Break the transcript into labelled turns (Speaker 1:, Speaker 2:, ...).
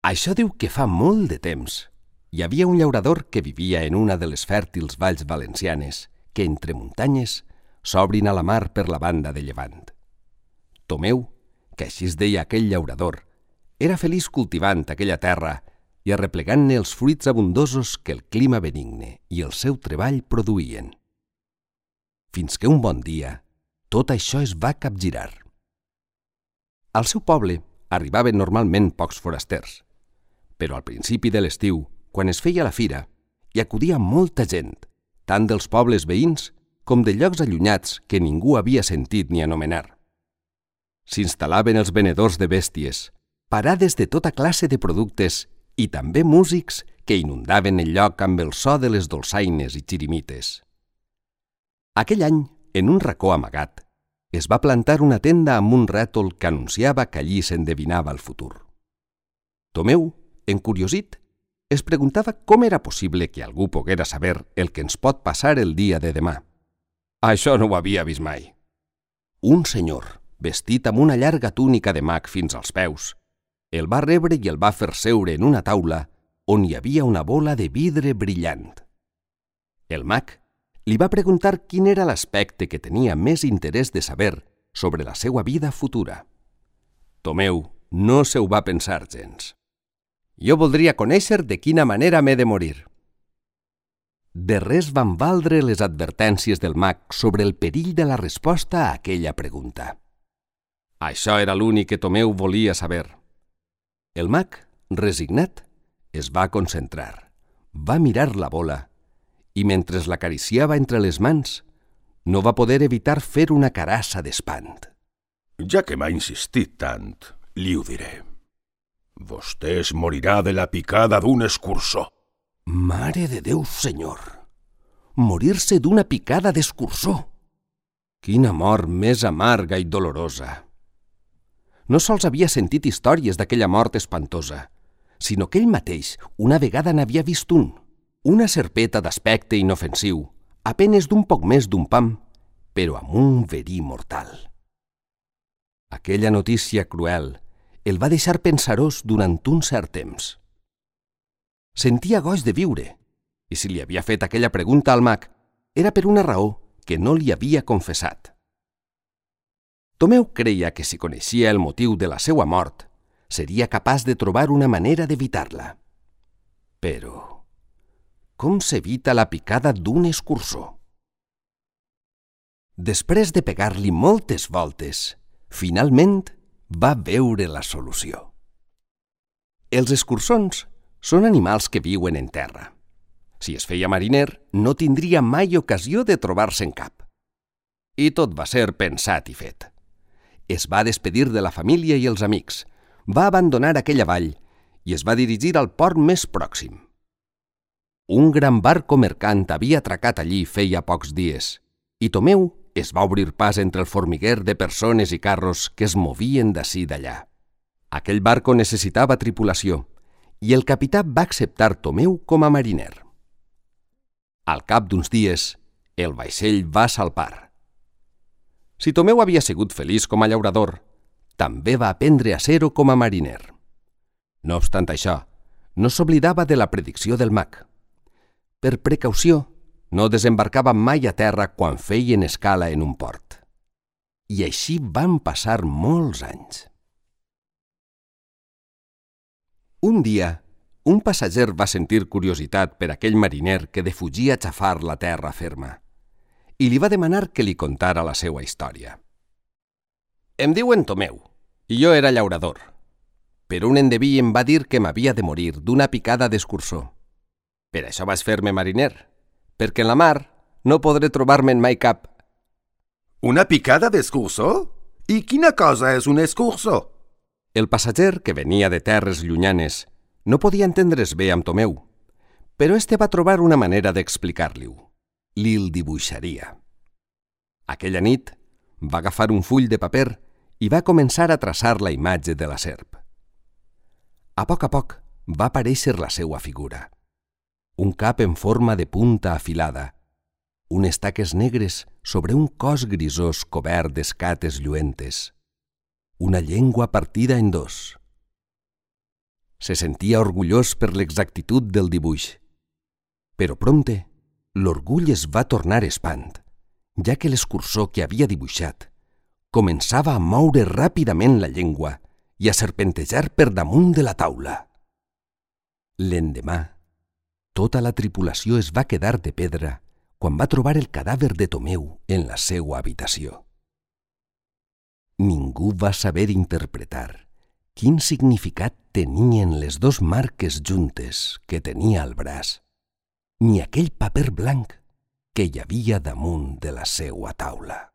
Speaker 1: Això diu que fa molt de temps. Hi havia un llaurador que vivia en una de les fèrtils valls valencianes que, entre muntanyes, s'obrin a la mar per la banda de llevant. Tomeu, que així es deia aquell llaurador, era feliç cultivant aquella terra i arreplegant-ne els fruits abundosos que el clima benigne i el seu treball produïen. Fins que un bon dia tot això es va capgirar. Al seu poble arribaven normalment pocs forasters, però al principi de l'estiu, quan es feia la fira, hi acudia molta gent, tant dels pobles veïns com de llocs allunyats que ningú havia sentit ni anomenar. S'instal·laven els venedors de bèsties, parades de tota classe de productes i també músics que inundaven el lloc amb el so de les dolçaines i xirimites. Aquell any, en un racó amagat, es va plantar una tenda amb un rètol que anunciava que allí s'endevinava el futur. Tomeu, encuriosit, es preguntava com era possible que algú poguera saber el que ens pot passar el dia de demà. Això no ho havia vist mai. Un senyor, vestit amb una llarga túnica de mag fins als peus, el va rebre i el va fer seure en una taula on hi havia una bola de vidre brillant. El mag li va preguntar quin era l'aspecte que tenia més interès de saber sobre la seva vida futura. Tomeu no se ho va pensar gens. Jo voldria conèixer de quina manera m'he de morir. De res van valdre les advertències del mag sobre el perill de la resposta a aquella pregunta. Això era l'únic que Tomeu volia saber. El mag, resignat, es va concentrar, va mirar la bola i mentre l'acariciava entre les mans, no va poder evitar fer una carassa d'espant.
Speaker 2: Ja que m'ha insistit tant, li ho diré. Vostè es morirà de la picada d'un escurçó.
Speaker 1: Mare de Déu, senyor! Morir-se d'una picada d'escurçó! Quina mort més amarga i dolorosa! No sols havia sentit històries d'aquella mort espantosa, sinó que ell mateix una vegada n'havia vist una serpeta d'aspecte inofensiu, a penes d'un poc més d'un pam, però amb un verí mortal. Aquella notícia cruel el va deixar pensarós durant un cert temps. Sentia goig de viure, i si li havia fet aquella pregunta al mag, era per una raó que no li havia confessat. Tomeu creia que si coneixia el motiu de la seva mort, seria capaç de trobar una manera d'evitar-la. Però com s'evita la picada d'un escurçó? Després de pegar-li moltes voltes, finalment va veure la solució. Els escurçons són animals que viuen en terra. Si es feia mariner, no tindria mai ocasió de trobar-se'n cap. I tot va ser pensat i fet. Es va despedir de la família i els amics, va abandonar aquella vall i es va dirigir al port més pròxim. Un gran barco mercant havia atracat allí feia pocs dies i Tomeu es va obrir pas entre el formiguer de persones i carros que es movien d'ací d'allà. Aquell barco necessitava tripulació i el capità va acceptar Tomeu com a mariner. Al cap d'uns dies, el vaixell va salpar. Si Tomeu havia sigut feliç com a llaurador, també va aprendre a ser-ho com a mariner. No obstant això, no s'oblidava de la predicció del mag. Per precaució, no desembarcava mai a terra quan feien escala en un port. I així van passar molts anys. Un dia, un passatger va sentir curiositat per aquell mariner que defugia xafar la terra ferma i li va demanar que li contara la seva història. Em diuen Tomeu, i jo era llaurador, però un endeví em va dir que m'havia de morir d'una picada d'escurçó. Per això vaig fer-me mariner, perquè en la mar no podré trobar-me'n mai cap.
Speaker 2: Una picada d'escurçó? I quina cosa és un escurçó?
Speaker 1: El passatger, que venia de terres llunyanes, no podia entendre's bé amb Tomeu, però este va trobar una manera d'explicar-li-ho. Li'l dibuixaria. Aquella nit va agafar un full de paper i va començar a traçar la imatge de la serp. A poc va aparèixer la seua figura. Un cap en forma de punta afilada, unes taques negres sobre un cos grisós cobert d'escates lluentes, una llengua partida en dos. Se sentia orgullós per l'exactitud del dibuix. Però prompte, l'orgull es va tornar espant, ja que l'escurçó que havia dibuixat començava a moure ràpidament la llengua i a serpentejar per damunt de la taula. L'endemà, tota la tripulació es va quedar de pedra quan va trobar el cadàver de Tomeu en la seua habitació. Ningú va saber interpretar quin significat tenien les dos marques juntes que tenia al braç, ni aquell paper blanc que hi havia damunt de la seua taula.